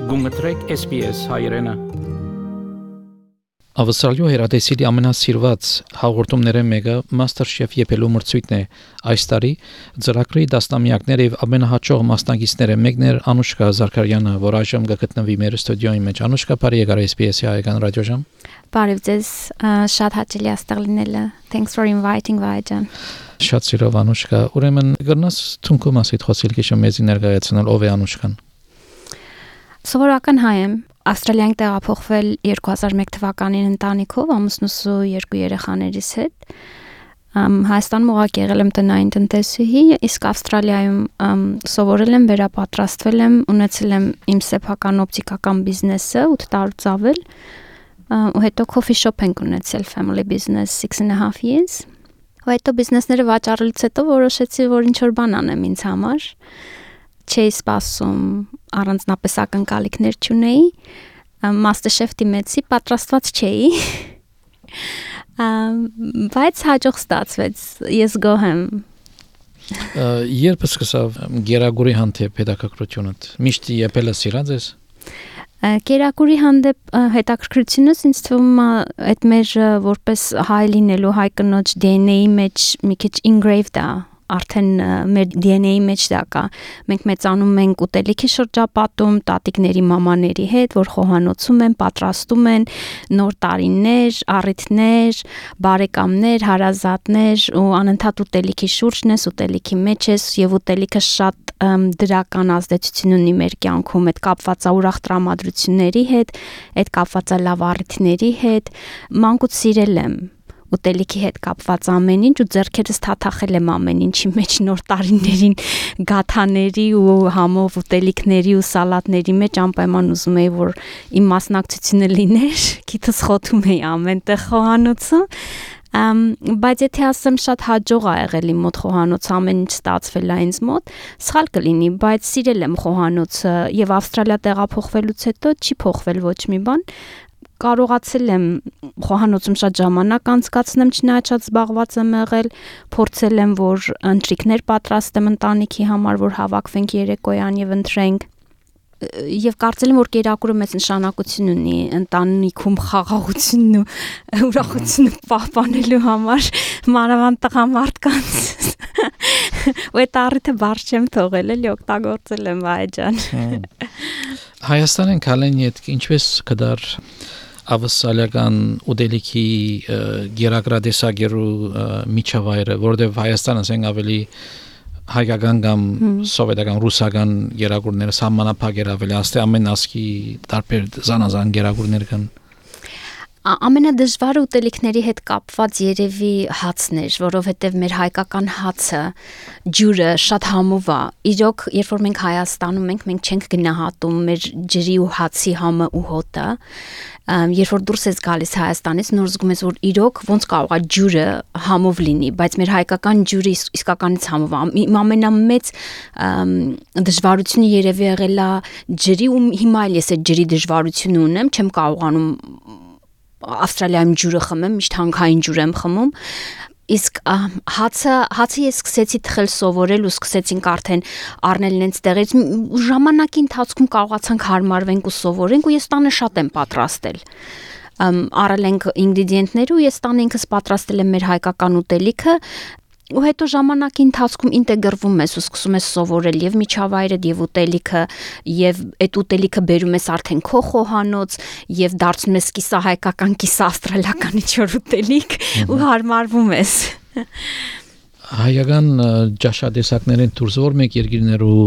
Գումտրեք SPS հայրենը։ Ավստրալիո հերադեսիլի ամենասիրված հաղորդումները մեկը MasterChef եփելու մրցույթն է։ Այս տարի ծրագրի դաստամյակները եւ ամենահաջող մասնակիցները մեկն էր Անուշկա Զարքարյանը, որ այժմ գտնվի մեր ստուդիոյի մեջ։ Անուշկա, բարի եկար SPS հայկական ռադիոժամ։ Բարև ձեզ, շատ հաճելի աստեղ լինելը։ Thanks for inviting Vajan. Շատ սիրով Անուշկա, ուրեմն գտնաս թունկու մասիդ խոսիլ քիչ մեզի ներկայացնել ով է Անուշկան։ Սովորական հայ եմ, Ավստրալիան տեղափոխվել 2001 թվականին ընտանիքով, ամուսնուս ու երկու երեխաներիս հետ։ Հայաստանում ուղղակի եղել եմ տնային տնտեսուհի, իսկ Ավստրալիայում սովորել եմ, վերապատրաստվել եմ, ունեցել եմ իմ սեփական օպտիկական բիզնեսը 8 տարուց ավել, ու հետո coffee shop ենք ունեցել, family business 6.5 years։ Ու հետո բիզնեսները վաճառելուց հետո որոշեցի, որ ինչ-որ բան անեմ ինձ համար։ Չէի սպասում, առանձնապես ակնկալիքներ չունեի, MasterChef դիմեցի, պատրաստված չէի, բայց հաջող ստացվեց, ես գոհ եմ։ Երբ սկսավ գերագուրի հանդեպ հետաքրքրությունդ, միշտ եպել ես սիրած ես։ Գերագուրի հանդեպ հետաքրքրությունս ինձ թվում է այդ մեր որպես հայ լինելու հայ կնոջ DNA-ի մեջ մի քիչ engraved է, արդեն մեր DNA-ի մեջ դա կա։ Մենք մեծանում ենք ուտելիքի շրջապատում, տատիկների, մամաների հետ, որ խոհանոցում են, պատրաստում են նոր տարիներ, առիթներ, բարեկամներ, հարազատներ ու անընդհատ ուտելիքի շուրջն ես, ուտելիքի մեջ ես եւ ուտելիքը շատ դրական ազդեցություն ունի մեր կյանքում, այդ կապված է ուրախ տրամադրությունների հետ, այդ կապված է լավ առիթների հետ, մանկուց սիրել եմ ուտելիքի հետ կապված ամեն ինչ ու ձեռքերս թաթախել եմ ամեն ինչի մեջ նոր տարիներին գաթաների ու համով ուտելիքների ու սալատների մեջ անպայման ուզում էի որ իմ մասնակցությունը լիներ, գիտես խոթում էի ամենտեղ խոհանոցում, բայց եթե ասեմ շատ հաջող ա եղել իմ մոտ խոհանոց, ամեն ինչ ստացվել է ինձ մոտ, սխալ կլինի, բայց սիրել եմ խոհանոցը եւ Ավստրալիա տեղափոխվելուց հետո չի փոխվել ոչ մի բան։ Կարողացել եմ խոհանոցում շատ ժամանակ անցկացնեմ, չնայած շատ զբաղված եմ եղել, փորձել եմ, որ ընթրիքներ պատրաստեմ ընտանիքի համար, որ հավաքվենք երեկոյան եւ ընթրենք։ Եվ կարծել եմ, որ կերակուրը մեծ նշանակություն ունի ընտանիքում խաղաղությունն ու ուրախությունը պահպանելու համար, մանավանդ տղամարդկանց։ Ու այդ առիթը բարձ չեմ թողել, էլի օգտագործել եմ Վայջան։ Հայաստանեն քալեն իդ ինչպես կդար ավսալական ուտելիքի գերագրադեսագերու միջավայրը, որտեղ Հայաստանը ասենք ավելի հայկական կամ սովետական ռուսական գերագուրները սահմանափակ ավելի աստե ամեն ասկի տարբեր զանազան գերագուրներ կան։ Ամենադժվարը ուտելիքների հետ կապված երևի հացն էր, որովհետև մեր հայկական հացը ջուրը շատ համով է։ Իրոք, երբ որ մենք Հայաստանում ենք, մենք չենք գնահատում մեր ջրի ու հացի համը ու հոտը։ Երբ որ դուրս ես գալիս Հայաստանից, նոր զգում ես, որ իրոք ոնց կարող է ջուրը համով լինի, բայց մեր հայկական ջուրը իսկականից համով է։ Իմ ամենամեծ դժվարությունը երևի եղել է ջրի ու հիմա էլ ես այդ ջրի դժվարությունը ունեմ, չեմ կարողանում Ավստրալիայում ջուրը խմեմ, միշտ հանքային ջուր եմ խմում, իսկ հացը ես սկսեցի թխել սովորել ու սկսեցինք արդեն առնել նենց տեղից, ժամանակի ընթացքում կարողացանք հարմարվենք ու սովորենք ու ես տանը շատ եմ պատրաստել, առել ենք ինգրեդիենտները ու ես տանը ինքս պատրաստել եմ մեր հայկական ուտելիքը, ու հետո ժամանակի ընթացքում ինտեգրվում ես ու սկսում ես սովորել եւ միջավայրը եւ ուտելիքը եւ այդ ուտելիքը բերում ես արդեն քո խոհանոց եւ դարձնում ես կիսահայկական, կիսաավստրալիական ինչ-որ ուտելիք ու հարմարվում ես։ Հայկական ջաշադեսակներին դուրս որ մեկ երկիրներու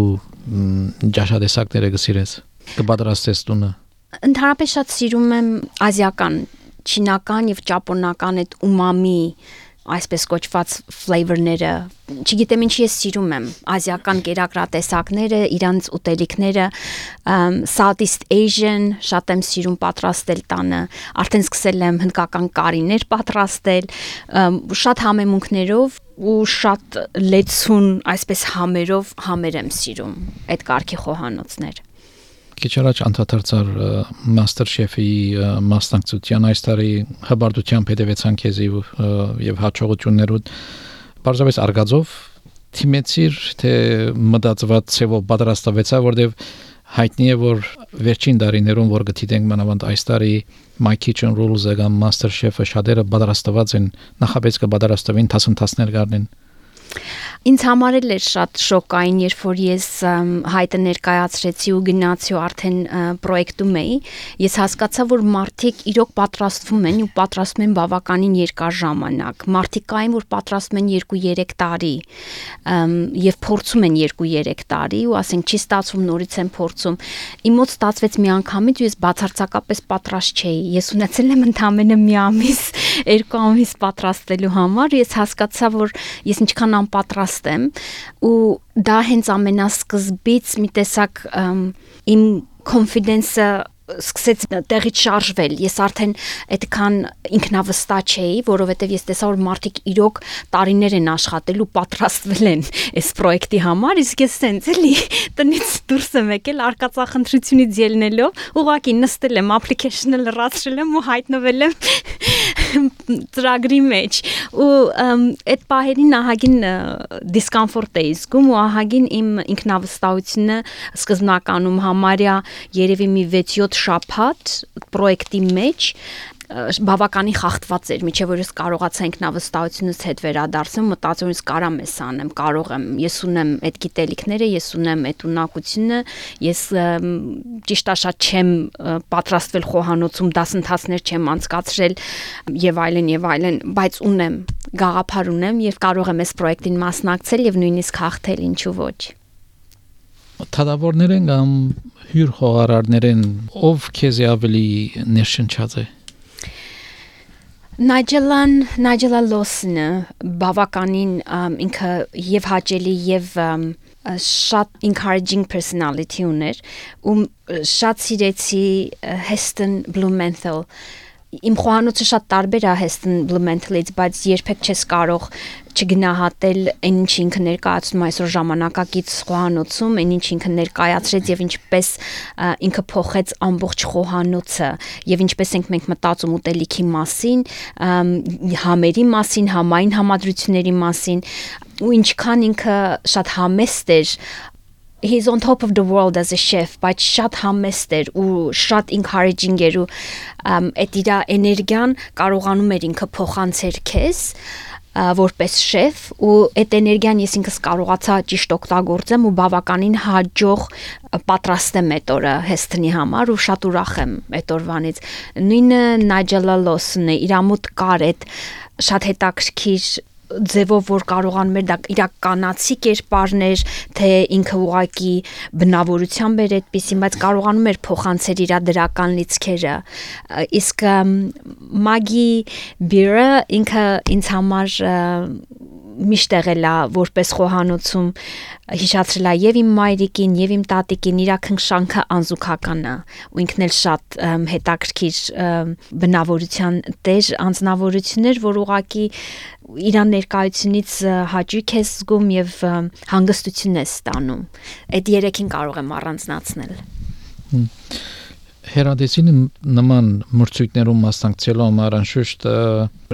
ջաշադեսակները գսիրես կպատրաստես տունը։ Ընդհանրապես շատ սիրում եմ ազիական, չինական եւ ճապոնական այդ ումամի այսպես կոչված ֆլեյվերները, չգիտեմ ինչի ես սիրում եմ, ազիական կերակրատեսակները, իրանց ուտելիքները, Southeast Asian, շատ եմ սիրում պատրաստել տանը, արդեն սկսել եմ հնդկական կարիներ պատրաստել, շատ համեմունքներով ու շատ լեցուն, այսպես համերով համեր եմ սիրում այդ կարգի խոհանոցներ։ Քիչ առաջ անդրադարձար MasterChef-ի մասնակցության այս տարի հբարտությամբ հետևեցան քեզի եւ հաջողություններուդ բարձրապես արգածով թիմեցիր թե մտածված ցեվով պատրաստվեցա որտեվ հայտնի է որ վերջին տարիներում որ գտիտենք մանավանդ այս տարի My Kitchen Rules-ը կամ Master Chef-ը շատերը պատրաստված են նախապես կպատրաստվին դասընթացներ գարնեն Ինձ համար էլ էր շատ շոկային, երբ որ ես հայտը ներկայացրեցի ու գնացի ու արդեն պրոյեկտում էի, ես հասկացա, որ մարդիկ իրոք պատրաստվում են ու պատրաստում են բավականին երկար ժամանակ։ Մարդիկ կային, որ պատրաստում են 2-3 տարի եւ փորձում են 2-3 տարի ու ասենք չի ստացվում, նորից են փորձում։ Իմ մոտ ստացվեց մի անգամից ու ես բացարձակապես պատրաստ չէի։ Ես ունեցել եմ ընդամենը մի ամիս, 2 ամիս պատրաստելու համար, ես հասկացա, որ ես ինչքան անպատրաստ եմ ու դա հենց ամենասկզբից մի տեսակ իմ confidence-ը սկսեց տեղից շարժվել ես արդեն այդքան ինքնավստահ չէի որովհետև ես տեսա որ մարդիկ իրոք տարիներ են աշխատել ու պատրաստվել են այս պրոյեկտի համար իսկ ես սենց էլի տնից դուրս եմ եկել արկածախնդրությունից ելնելով ուղղակի նստել եմ application-ը լրացրել եմ ու հայտնվել եմ ծրագրի մեջ ու այդ պահերին ահագին դիսկոմֆորտ էի զգում ու ահագին իմ ինքնավստահությունը սկզբնականում համարյա երևի մի 6-7 շաբաթ պրոյեկտի մեջ բավականին խախտված էր միջև որ ես կարողացա ինքնավստահությունից հետ վերադարձնել մտածում եմ կարամ ես անեմ կարող եմ ես ունեմ այդ գիտելիքները ես ունեմ այդ ունակությունը ես ճիշտ է շատ չեմ պատրաստվել խոհանոցում դասընթացներ չեմ անցկացրել եւ այլն բայց ունեմ գաղափար ունեմ եւ կարող եմ այս պրոյեկտին մասնակցել եւ նույնիսկ հաղթել ինչու ոչ Թադավորներ են կամ հյուր խոհարարներ են ով քեզ ավելի ներշնչած է Նայջելա Լոսնը բավականին ինքը եւ հաճելի եւ շատ encouraging personality ուներ ու շատ սիրեցի Heston Blumenthal Իմ խոհանոցը շատ տարբեր է Heston Blumenthal-ից, բայց երբեք չես կարող չգնահատել այն ինչ ինքը ներկայացնում այսօր ժամանակակից խոհանոցում, այն ինչ ինքը ներկայացրեց եւ ինչպես ինքը փոխեց ամբողջ խոհանոցը եւ ինչպես ենք մենք մտածում ուտելիքի մասին, համերի մասին, համային համադրությունների մասին ու ինչքան ինքը շատ համեստ էր He's on top of the world as a chef, բայց շատ համեստ էր ու շատ encouraging էր ու այդ իր էներգիան կարողանում էր ինքը փոխանցել քեզ որպես շեֆ ու այդ էներգիան ես ինքս կարողացա ճիշտ օգտագործեմ ու բավականին հաջող պատրաստեմ այդ օրը Հեսթոնի համար ու շատ ուրախ եմ այդ օրվանից նույնը Նայջելա Լոսն է իր ամոթ կար այդ շատ հետաքրքիր ձևով որ կարողանում էր դա իրականացի կերպարներ թե ինքը ուղակի բնավորությամբ էր այդպեսին բայց կարողանում էր փոխանցել իր դրական լիցքերը իսկ Մագի Բիրը ինքը ինձ համար միշտ եղել է որպես խոհանոցում հիշացրել է եւ իմ մայրիկին եւ իմ տատիկին իր քնքշանքը անզուգական է ու ինքն էլ շատ հետաքրքիր բնավորության տեր անձնավորություններ որ ուղակի իր ներկայությունից հաճույք ես զգում եւ հանգստություն ես ստանում այդ երեքին կարող եմ առանձնացնել Հերադեսին նման մրցույթներում մասնակցելու համար անշուշտ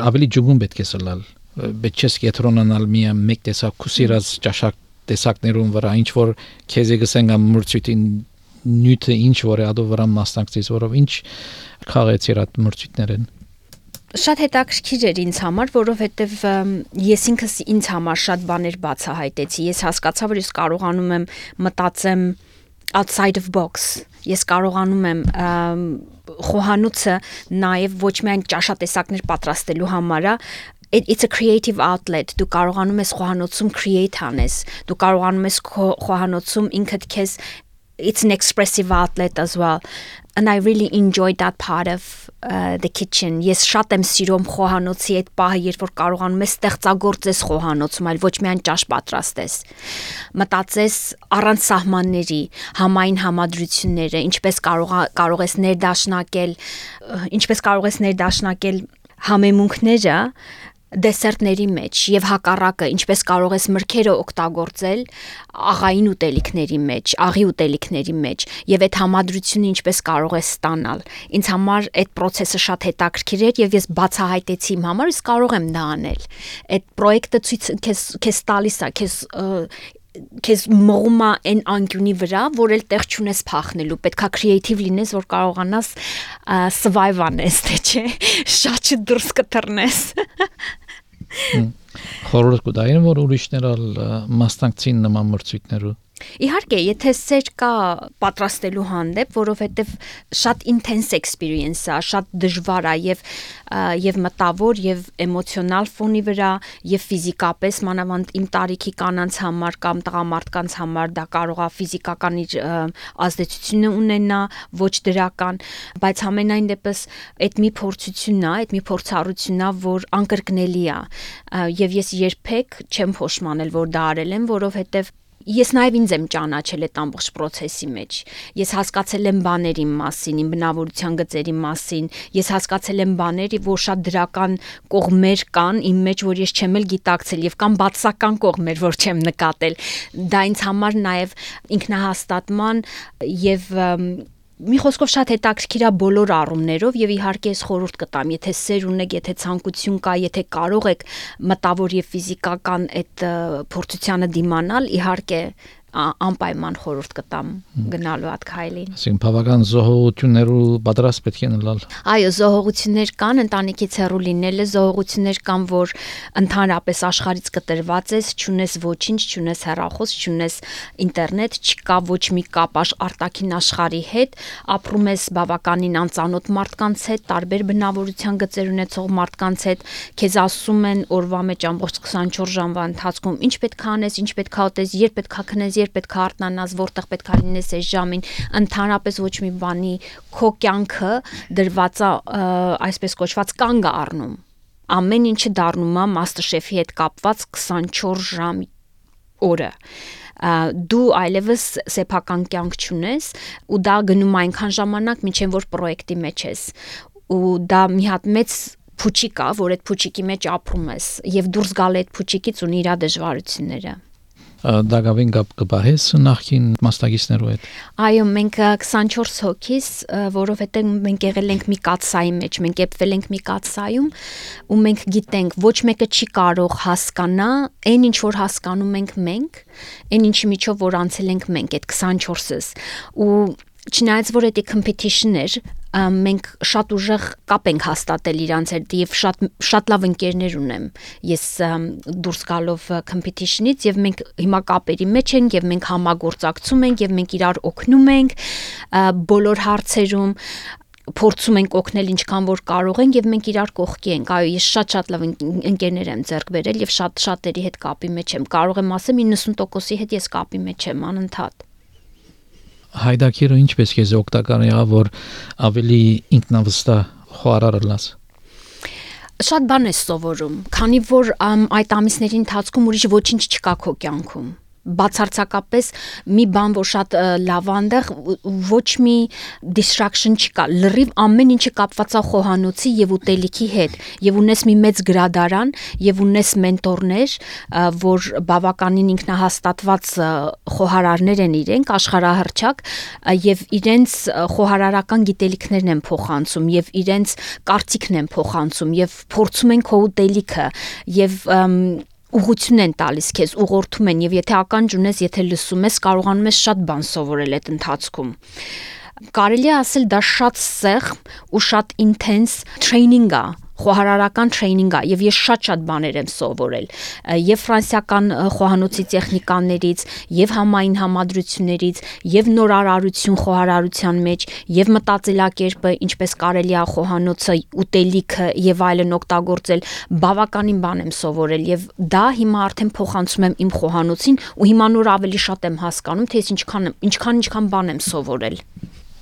ավելի ջուգուն պետք է սլալ Բայց չես կետրոնանալ միայն մեկ տեսակ քուսիրած ճաշակ տեսակներում վրա ինչ որ քեզ եկսեն կամ մրցույթին նյութը ինչ որ է ադո վրա մասնակցես որով ինչ խաղացիր այդ մրցույթներն Շատ հետաքրքիր էր ինձ համար, որովհետև ես ինքս ինձ համար շատ բաներ բացահայտեցի։ Ես հասկացա, որ ես կարողանում եմ մտածեմ outside of box։ Ես կարողանում եմ խոհանոցը նաև ոչ միայն ճաշատեսակներ պատրաստելու համար It's a creative outlet. Դու կարողանում ես խոհանոցում create անես։ Դու կարողանում ես խոհանոցում ինքդ քեզ It's an expressive outlet as well. And I really enjoyed that part of the kitchen. Ես շատ եմ սիրում խոհանոցի այդ պահը, երբ որ կարողանում ես ստեղծագործես խոհանոցում, այլ ոչ միայն ճաշ պատրաստես։ Մտածես առանց սահմանների, համային համադրությունները, ինչպես կարող ես ներդաշնակել համեմունքները դեսերտների մեջ եւ հակառակը ինչպես կարող ես մրգերը օգտագործել աղային ուտելիքների մեջ, աղի ուտելիքների մեջ եւ այդ համադրությունը ինչպես կարող ես ստանալ։ Ինձ համար այդ process-ը շատ հետաքրքիր էր եւ ես բացահայտեցի իմ համար, ես կարող եմ դա անել։ Այդ պրոյեկտը ցույց քեզ տալիս է, քեզ քեզ մողում է այն անկյունի վրա, որ էլ տեղ չունես փախնելու, պետքա քրեատիվ լինես, որ կարողանաս survive անես, թե չէ, շատ դուրս կտրնես։ Խորհուրդ կտային, որ ուրիշներ մասնակցին նման մրցույթներու։ Իհարկե, եթե սեր կա պատրաստելու հանդեպ, որովհետև շատ intense experience է, շատ դժվար է եւ մտավոր եւ էմոցիոնալ ֆոնի վրա եւ ֆիզիկապես մանավանդ իմ տարիքի կանանց համար կամ տղամարդկանց համար դա կարող է ֆիզիկական իր ազդեցությունը ունենա, ոչ դրական, բայց համենայն դեպս այդ մի փորձությունն է, այդ մի փորձառությունն է, որ անկրկնելի է եւ ես երբեք չեմ փոշմանել, որ դա արել եմ, որովհետև ես նաև ինձ եմ ճանաչել այդ ամբողջ process-ի մեջ։ Ես հասկացել եմ բաների մասին, իմ բնավորության գծերի մասին, ես հասկացել եմ բաներ, որ շատ դրական կողմեր կան իմ մեջ, որ ես չեմ էլ գիտակցել եւ կան բացասական կողմեր, որ չեմ նկատել։ Դա ինձ համար նաև ինքնահաստատման եւ մի խոսքով շատ հետաքրքիր է բոլոր առումներով եւ իհարկե ես խորհուրդ կտամ, եթե սեր ունեք, եթե ցանկություն կա, եթե կարող եք մտավոր եւ ֆիզիկական այդ փորձությանը դիմանալ, իհարկե անպայման խորհուրդ կտամ գնալու այդ քայլին։ Այսինքն բավական զոհողություններու պատրաստ պետք է լինել։ Այո, զոհողություններ կան, ընտանիքից հեռու լինելը, զոհողություններ կան, որ ընդհանրապես աշխարհից կտրված ես, չունես ոչինչ, չունես հեռախոս, չունես ինտերնետ, չկա ոչ մի կապ արտաքին աշխարհի հետ, ապրում ես բավականին անծանոթ մարդկանց հետ, տարբեր բնավորության գծեր ունեցող մարդկանց հետ, քեզ ասում են օրվա մեջ ամբողջ 24 ժամվա ընթացքում ինչ պետք է անես, ինչ պետք է ուտես, երբ պետք է քնես, երբ պետք է արթնանաս, որտեղ պետք է լինես այս ժամին, ընդհանրապես ոչ մի բանի քո կյանքը դրված է այսպես կոչված կանգ առնում։ Ամեն ինչը դառնում է MasterChef-ի հետ կապված 24 ժամ օրը։ Դու այլևս սեփական կյանք չունես ու դա գնում է այնքան ժամանակ, մինչև որ պրոյեկտի մեջ ես։ Ու դա մի հատ մեծ փուչիկ է, որ այդ փուչիկի մեջ ապրում ես եւ դուրս գալ այդ փուչիկից ունի իր դժվարությունները։ Դակավին կապ կբահես նախքին մասնակիցներու հետ։ Այո, մենք 24 հոգիս, որովհետև մենք եղել ենք մի կաթսայի մեջ, մենք եպվել ենք մի կաթսայում ու մենք գիտենք, ոչ մեկը չի կարող հասկանա այն ինչ որ հասկանում ենք մենք, այն ինչի միջով որ անցել ենք մենք այդ 24-ս ու չնայած որ դա competition էր, մենք շատ ուժեղ կապ ենք հաստատել իրանց հետ եւ շատ լավ ընկերներ ունեմ ես դուրս գալով competition-ից եւ մենք հիմա կապերի մեջ ենք եւ մենք համագործակցում ենք եւ մենք իրար օգնում ենք բոլոր հարցերում փորձում ենք օգնել ինչքան որ կարող ենք եւ մենք իրար կողքի ենք այո ես շատ լավ ընկերներ եմ ձեռք բերել եւ շատերի հետ կապի մեջ եմ կարող եմ ասեմ 90%-ի հետ ես կապի մեջ եմ անընդհատ Հայդակիրը ինչպես քեզ օգտակար եղավ որ ավելի ինքնավստահ խոհարար լաս Շատ բան ես սովորում քանի որ այդ ամիսների ընթացքում ուրիշ ոչինչ չկա քո կյանքում բացարձակապես մի բան որ շատ լավ այնտեղ ոչ մի distraction չկա լրիվ ամեն ինչը կապված է խոհանոցի եւ ուտելիքի հետ եւ ունես մի մեծ գրադարան եւ ունես մենտորներ որ բավականին ինքնահաստատված խոհարարներ են իրենք աշխարհահռչակ եւ իրենց խոհարարական գիտելիքներն են փոխանցում եւ իրենց կարծիքն են փոխանցում եւ փորձում են քո ուտելիքը եւ ուղղություն են տալիս քեզ, ուղղորդում են եւ եթե ականջ ունես, եթե լսում ես, կարողանում ես շատ բան սովորել այդ ընթացքում։ Կարելի է ասել դա շատ սեղմ ու շատ intense training է, խոհարարական training է եւ ես շատ բաներ եմ սովորել եւ ֆրանսիական խոհանոցի տեխնիկաներից եւ համային համադրություններից եւ նորարարություն խոհարարության մեջ եւ մտածելակերպը ինչպես կարելի է խոհանոցը ուտելիքը եւ այլն օգտագործել բավականին բան եմ սովորել եւ դա հիմա արդեն փոխանցում եմ իմ խոհանոցին ու հիմա նոր ավելի շատ եմ հասկանում թե ես ինչքան բան եմ սովորել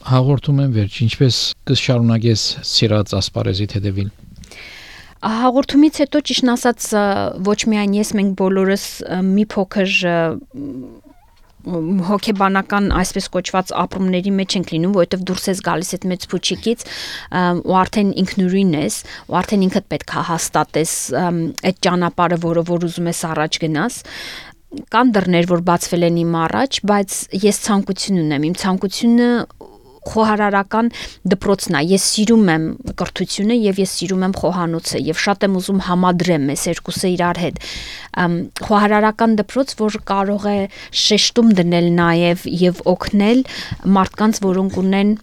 Հաղորդում եմ վերջ ինչպես կշարունակես սիրած ասպարեզիդ հետևել Հաղորդումից հետո ճիշտ ասած ոչ միայն ես մենք բոլորս մի փոքր հոգեբանական այսպես կոչված ապրումների մեջ ենք լինում, որովհետև դուրս ես գալիս այդ մեծ փուչիկից ու արդեն ինքնուրույն ես, ու արդեն ինքդ պետք է հաստատես այդ ճանապարհը, որ ուզում ես առաջ գնաս կան դռներ, որ բացվել են իմ առաջ, բայց ես ցանկություն ունեմ, իմ ցանկությունը խոհարարական դպրոցն է։ Ես սիրում եմ կրթությունը եւ ես սիրում եմ խոհանոցը եւ շատ եմ ուզում համադրեմ այս երկուսը իրար հետ։ Խոհարարական դպրոց, որ կարող է շեշտում դնել նաեւ եւ օգնել մարդկանց, որոնք ունեն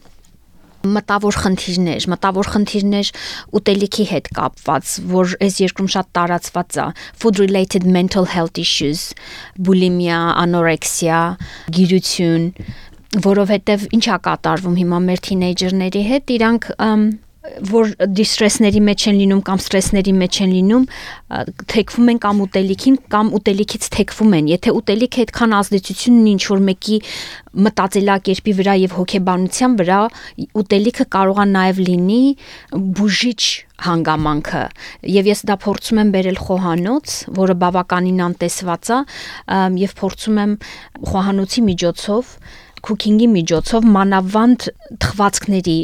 մտավոր խնդիրներ ուտելիքի հետ կապված, որ այս երկրում շատ տարածված է, food related mental health issues, bulimia, anorexia, գիրություն, որովհետև ինչ է կատարվում հիմա մեր թինեյջերների հետ, իրանք որ դիստրեսների մեջ են լինում կամ ստրեսների մեջ են լինում, թեքվում են կամ ուտելիքին կամ ուտելիքից թեքվում են։ Եթե ուտելիքը այդքան ազդեցություն ունի ինչ-որ մեկի մտածելակերպի վրա եւ հոգեբանության վրա, ուտելիքը կարող է նաեւ լինի բուժիչ հանգամանքը։ Եվ ես դա փորձում եմ բերել խոհանոց, որը բավականին անտեսված է, եւ փորձում եմ խոհանոցի միջոցով cooking-ի միջոցով մանավանդ թխվածքների,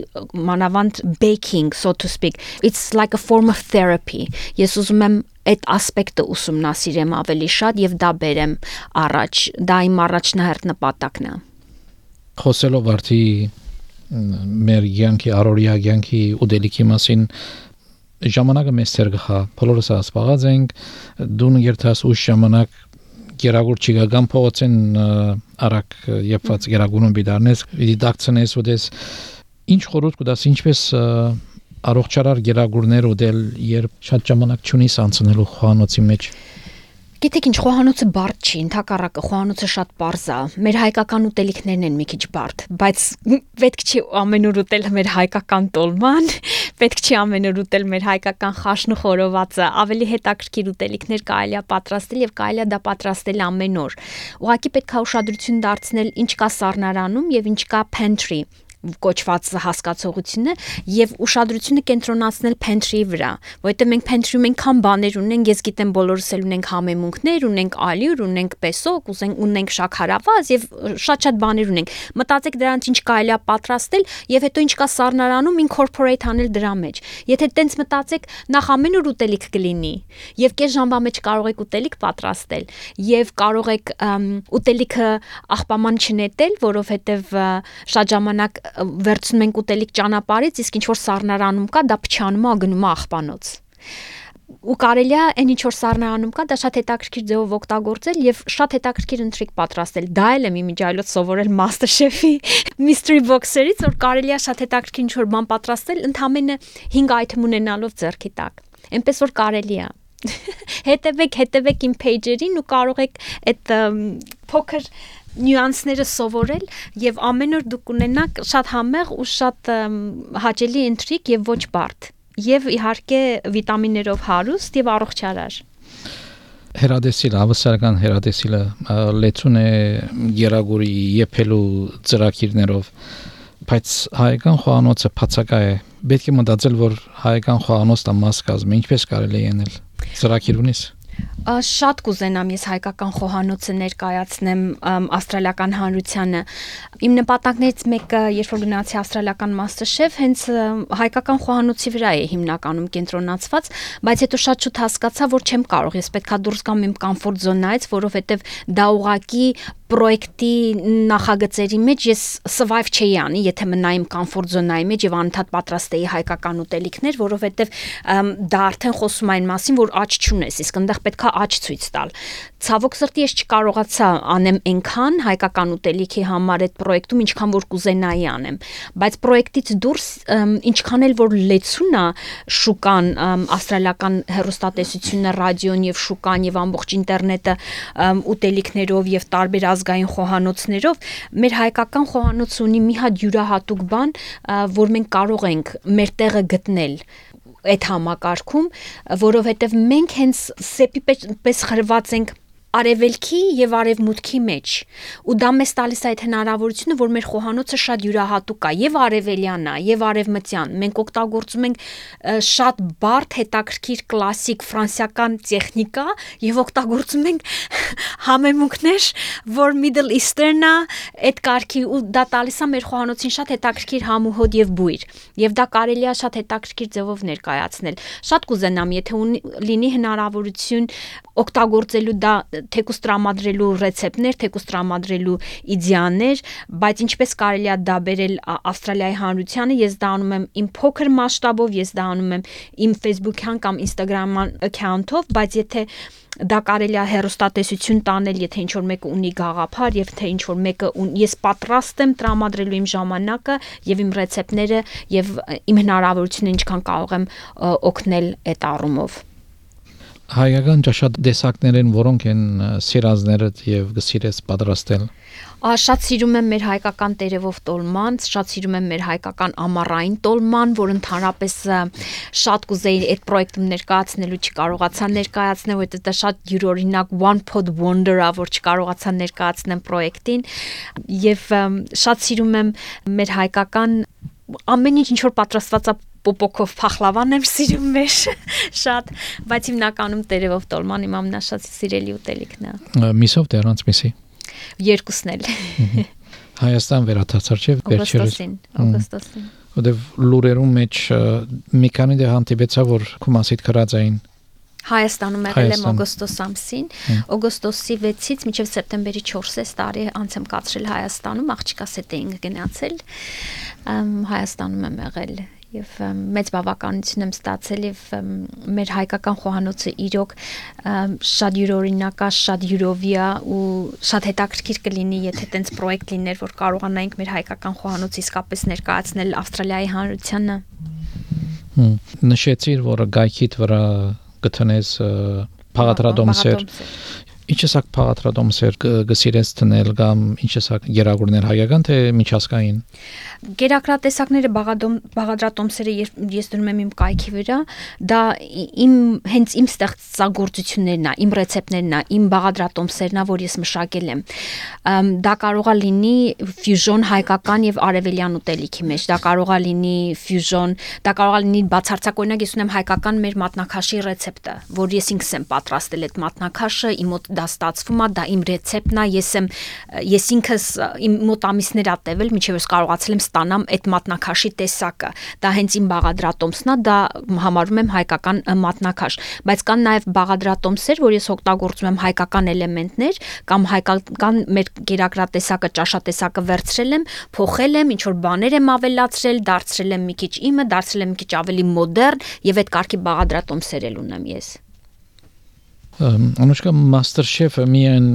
մանավանդ baking, so to speak, it's like a form of therapy. Ես ուզում եմ այդ ասպեկտը ուսումնասիրեմ ավելի շատ եւ դա բերեմ առաջ, դա իմ առաջնահերթ նպատակն է։ Խոսելով արդի մեր յանքի առօրյա յանքի ուտելիքի մասին ժամանակը մեծ թեր գա, բոլորս ասպաղած ենք, դու երթաս ուշ ժամանակ գերագուր չգան փողոցեն արակ եփված գերագուրում բիդարնես դիդակցնես ուտես ինչ խորհուրդ կտաս ինչպես առողջարար գերագուրներ ուտել երբ շատ ժամանակ չունիս անցնելու խոհանոցի մեջ Գիտեք ինչ խոհանոցը բարդ չի, ընդհակառակը խոհանոցը շատ պարզ է։ Մեր հայկական ուտելիքներն են մի քիչ բարդ, բայց պետք չի ամեն օր ուտել մեր հայկական տոլման, պետք չի ամեն օր ուտել մեր հայկական խաշն ու խորովածը, ավելի հետաքրքիր ուտելիքներ կարելի է պատրաստել եւ կարելի է դա պատրաստել ամեն օր։ Ուղղակի պետք է ուշադրություն դարձնել ինչ կա սառնարանում եւ ինչ կա pantry կոչված հասկացողությունը եւ ուշադրությունը կենտրոնացնել pantry-ի վրա, որովհետեւ մենք pantry-ում այնքան բաներ ունենք, ես գիտեմ բոլորս էլ ունենք համեմունքներ, ունենք ալյուր, ունենք պեսոկ, ունենք շաքարավազ եւ շատ բաներ ունենք։ Մտածեք դրանց ինչ կարելի է պատրաստել եւ հետո ինչ կա սառնարանում incorporate անել դրա մեջ։ Եթե տենց մտածեք, նախ ամեն օր ուտելիք կլինի եւ կես ժամվա մեջ կարող եք ուտելիք պատրաստել եւ կարող եք ուտելիքը աղբաման չնետել, որովհետեւ շատ ժամանակ վերցնում ենք ուտելիք ճանապարհից, իսկ ինչ որ սառնարանում կա, դա փչանում է, գնում է աղբանոց։ Ու կարելի է այն ինչ որ սառնարանում կա, դա շատ հետաքրքիր ձևով օգտագործել եւ շատ հետաքրքիր ընթրիք պատրաստել։ Դա էլ եմ իմիջայլոց սովորել MasterChef-ի mystery box-երից, որ կարելի է շատ հետաքրքիր ինչ որ բան պատրաստել, ընդամենը 5 item ունենալով ձեռքի տակ։ Էնպես որ կարելի է։ Հետևեք իմ page-երին ու կարող եք այդ փոքր նյուանսները սովորել եւ ամեն օր դուք ունենաք շատ համեղ ու շատ հաճելի ընթրիք եւ ոչ բարդ եւ իհարկե վիտամիններով հարուստ եւ առողջարար Հերադեսիլը, ավսարական հերադեսիլը լեցուն է գերագուրի եփելու ծրագիրներով բայց հայկական խոհանոցը բացակա է պետք է մտածել որ հայկական խոհանոցը մաս կազմի ինչպես կարելի է անել ծրագիր ունես Շատ կուզենամ ես հայկական խոհանոցը ներկայացնեմ ավստրալիական հանրությանը։ Իմ նպատակներից մեկը, երբ որ գնացի ավստրալիական MasterChef, հենց հայկական խոհանոցի վրա է հիմնականում կենտրոնացված, բայց հետո շատ շուտ հասկացա, որ չեմ կարող, ես պետքա դուրս գամ իմ կոմֆորտ զոնայից, որովհետև դա ուղղակի պրոյեկտի նախագծերի մեջ ես survive չէի անի, եթե մնայիմ կոմֆորտ զոնայի մեջ եւ անընդհատ պատրաստեի հայկական ուտելիքներ, որովհետեւ դա արդեն խոսում այն մասին, որ աճ չունես, իսկ այնտեղ պետքա աճ ցույց տալ։ Ցավոք սրտի ես չկարողացա անեմ այնքան հայկական ուտելիքի համար այդ պրոյեկտում, ինչքան որ կուզենայի անեմ, բայց պրոյեկտից դուրս ինչքան էլ որ լեցուն է շուկան, ավստրալիական հեռուստատեսությունը, ռադիոն եւ շուկան եւ ամբողջ ինտերնետը ուտելիքներով եւ տարբեր ազգային խոհանոցներով, մեր հայկական խոհանոցը ունի մի հատ յուրահատուկ բան, որ մենք կարող ենք մեր տեղը գտնել այդ համակարգում, որովհետև մենք հենց սեպի պես խրված ենք արևելքի եւ արևմուտքի մեջ ու դա մեզ տալիս է այդ հնարավորությունը որ մեր խոհանոցը շատ յուրահատուկ է եւ արևելյան է եւ արևմտյան մենք օգտագործում ենք շատ բարդ հետաքրքիր կլասիկ ֆրանսիական տեխնիկա եւ օգտագործում ենք համեմունքներ որ Middle Eastern է այդ կարգի ու դա տալիս է մեր խոհանոցին շատ հետաքրքիր համ ու հոտ եւ բույր եւ դա կարելի է շատ հետաքրքիր ձևով ներկայացնել շատ կուզենամ եթե լինի հնարավորություն օգտագործելու դա թեկուզ տրամադրելու ռեցեպտներ, թեկուզ տրամադրելու իդեաներ, բայց ինչպես կարելի է դա բերել Ավստրալիայի հանրությանը, ես դա անում եմ իմ փոքր մասշտաբով, ես դա անում եմ իմ Facebook-յան կամ Instagram-յան account-ով, բայց եթե դա կարելի է հեռուստատեսություն տանել, եթե ինչ-որ մեկը ունի գաղափար, եւ թե ինչ-որ մեկը ես պատրաստ եմ տրամադրելու իմ ժամանակը եւ իմ ռեցեպտները եւ իմ հնարավորությունը ինչքան կարող եմ օգնել այդ առումով։ Հայկական ճաշատեսակներն որոնք են սիրածներդ եւ գսիրես պատրաստել։ Շատ սիրում եմ մեր հայկական տերևով տոլման, շատ սիրում եմ մեր հայկական ամառային տոլման, որ ընդհանրապես շատ կուզեի այդ պրոյեկտում ներկայացնելու չկարողացա ներկայացնել, որովհետեւ դա շատ յուրօրինակ one pot wonder-ա, որ չկարողացա ներկայացնել պրոյեկտին, եւ շատ սիրում եմ մեր հայկական ամեն ինչ որ պատրաստված է պոպոկով փախլավան եմ սիրում մեր շատ, բայց հիմնականում տերևով տոլման իմ ամենաշատ սիրելի ուտելիքն է։ Միսով դեռանց միսի։ Երկուսն էլ։ Հայաստան վերադարձար չէ վերջերս։ Օգոստոսին։ Որտեվ լուրերում մեջ մի քանի դե հանդիպեցա որ քո մասիդ քրած էին։ Հայաստանում եղել եմ օգոստոս ամսին, օգոստոսի 6-ից մինչև սեպտեմբերի 4-ը տարի անց եմ կացրել Հայաստանում, աղջիկաս հետ էինք գնացել, Հայաստանում եմ եղել եւ մեծ բավականություն եմ ստացել եւ մեր հայկական խոհանոցը իրոք շատ յուրօրինակ է, շատ յուրովի է ու շատ հետաքրքիր կլինի, եթե տենց պրոյեկտ լիներ, որ կարողանայինք մեր հայկական խոհանոցը իսկապես ներկայացնել Ավստրալիայի հանրությանը։ Նշեցիր, որ գայքիդ վրա գտնես փաղադրատոմսեր։ Ինչ էսակ փաղադրատոմսեր գսիրես տնել կամ ինչ էսակ գերագուրներ հայկական թե միջազգային։ Գերակրատեսակները բաղադրատոմսերը ես դնում եմ իմ կայքի վրա, դա հենց իմ ստեղծագործություններն է, իմ ռեցեպտներն է, իմ բաղադրատոմսերն է, որ ես մշակել եմ։ Դա կարող է լինի ֆյուժոն հայկական եւ արևելյան ուտելիքի մեջ, դա կարող է լինի ֆյուժոն, դա կարող է լինի բացարձակ օրինակ ես ունեմ հայկական մեր մատնաքաշի ռեցեպտը, որ ես ինքս եմ պատրաստել այդ մատնաքաշը, իմ մոտ դա ստացվում է, դա իմ ռեցեպտն է, ես ինքս իմ մոտ ամիսներ ա տևել, մինչև ես կարողացել եմ ստանամ այդ մատնաքաշի տեսակը, դա հենց իմ բաղադրատոմսն է, դա համարում եմ հայկական մատնաքաշ, բայց կան նաև բաղադրատոմսեր, որ ես օգտագործում եմ հայկական էլեմենտներ կամ հայկական մեր գերակրատեսակը, ճաշատեսակը վերցրել եմ, փոխել եմ, ինչ որ բաներ եմ ավելացրել, դարձրել եմ մի քիչ իմը, դարձրել եմ մի քիչ ավելի մոդեռն եւ այդ կարգի բաղադրատոմսեր էլ ունեմ ես։ Անուշկա MasterChef-ը միայն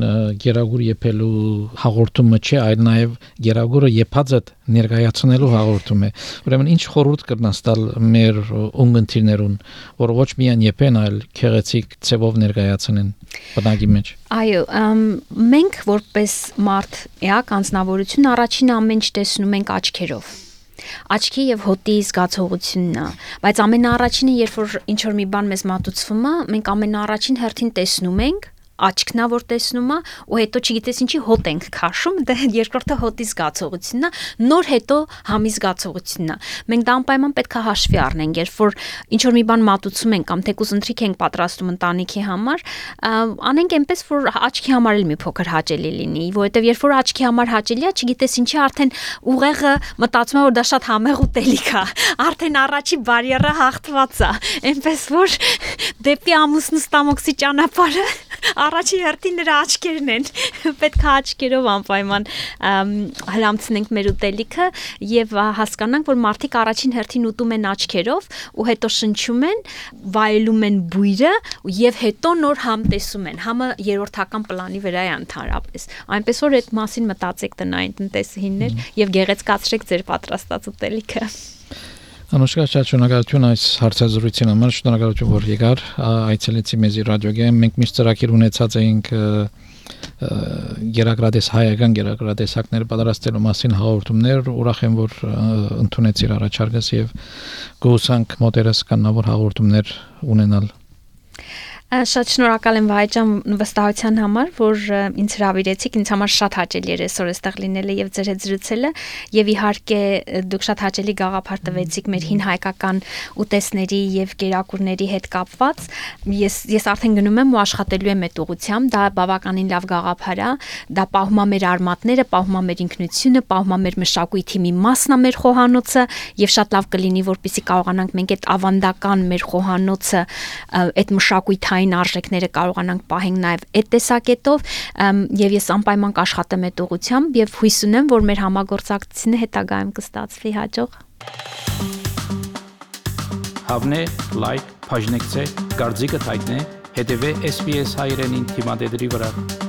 գերագուր եփելու հաղորդումը չէ, այլ նաև գերագուրը եփածը ներկայացնելու հաղորդում է։ Ուրեմն ինչ խորհուրդ կրնաս տալ մեր ունգընտիրներուն, որ ոչ միայն եփեն, այլ քեղեցիկ ցևով ներկայացնեն բնակի մեջ։ Այո, մենք որպես մարդ էակ անձնավորություն առաջին ամեն ինչ տեսնում ենք աչքերով։ Աչքի եւ հոտի զգացողությունն է, բայց ամենաառաջինը երբ որ ինչ որ մի բան մեզ մատուցվում է, մենք ամենաառաջին հերթին տեսնում ենք աչքն է որ տեսնում է ու հետո չգիտես ինչի հոտ ենք քաշում, դա երկրորդը հոտի զգացողությունն է, նոր հետո համի զգացողությունն է։ Մենք դա անպայման պետք է հաշվի առնենք, երբ որ ինչ որ մի բան մատուցում ենք կամ թեկուզ ընթրիք ենք պատրաստում ընտանիքի համար, անենք այնպես որ աչքի համար էլ մի փոքր հաճելի լինի, որովհետև երբ որ աչքի համար հաճելի է, չգիտես ինչի արդեն ուղեղը մտածում է որ դա շատ համեղ ուտելիք է, արդեն առաջի բարիերը հաղթված է, այնպես որ դեպի ամուսնու ստամոքսի ճանապարհը առաջի հերթին նրա աչքերն են, պետք է աչքերով անպայման հլամցնենք մեր ուտելիքը եւ հասկանանք, որ մարդիկ առաջին հերթին ուտում են աչքերով ու հետո շնչում են, վայելում են բույրը եւ հետո նոր համ տեսում են, համը երրորդական պլանի վրա է ընդհանրապես, այնպես որ այդ մասին մտածեք տնային տնտեսուհիներ եւ գեղեցկացրեք ձեր պատրաստած ուտելիքը։ Անուշկա շատ շնորհակալություն այս հարցազրույցին համար, շնորհակալություն որ եկար, այցելեցի մեզի ռադիոգեն, մենք միշտ ծրագիր ունեցած էինք գերակրատես հայկական գերակրատեսակներ պատրաստելու մասին հաղորդումներ, ուրախ եմ որ ընդունեցիր առաջարկս եւ գուսանք մոտերս կանավոր հաղորդումներ ունենալ։ Շատ շնորհակալ եմ Վահե վստահության համար, որ ինձ հրավիրեցիք, ինձ համար շատ հաճելի էր այսօր այստեղ լինելը եւ ձեր հետ զրուցելը եւ իհարկե դուք շատ հաճելի գաղափար տվեցիք մեր հին հայկական ուտեստների եւ կերակուրների հետ կապված։ Ես արդեն գնում եմ ու աշխատելու եմ այդ ուղղությամբ, դա բավականին լավ գաղափար է, դա պահում է մեր արմատները, պահում է մեր ինքնությունը, պահում է մեր մշակույթի մի մասն է մեր խոհանոցը եւ շատ լավ կլինի որպեսզի կարողանանք մենք այդ ավանդական մեր խոհանոցը այդ մշակույթային հումանային արժեքները կարողանանք պահենք նաև այդ տեսակետով, եւ ես անպայման կաշխատեմ այդ ուղղությամբ եւ հույս ունեմ, որ մեր համագործակցությունը հետագայում կստացվի հաջող։ Հավնե, լայք, բաժնեկցե, դարձիկը թայտնե, հետևե SBS հայրենին թիմադեդի վրա։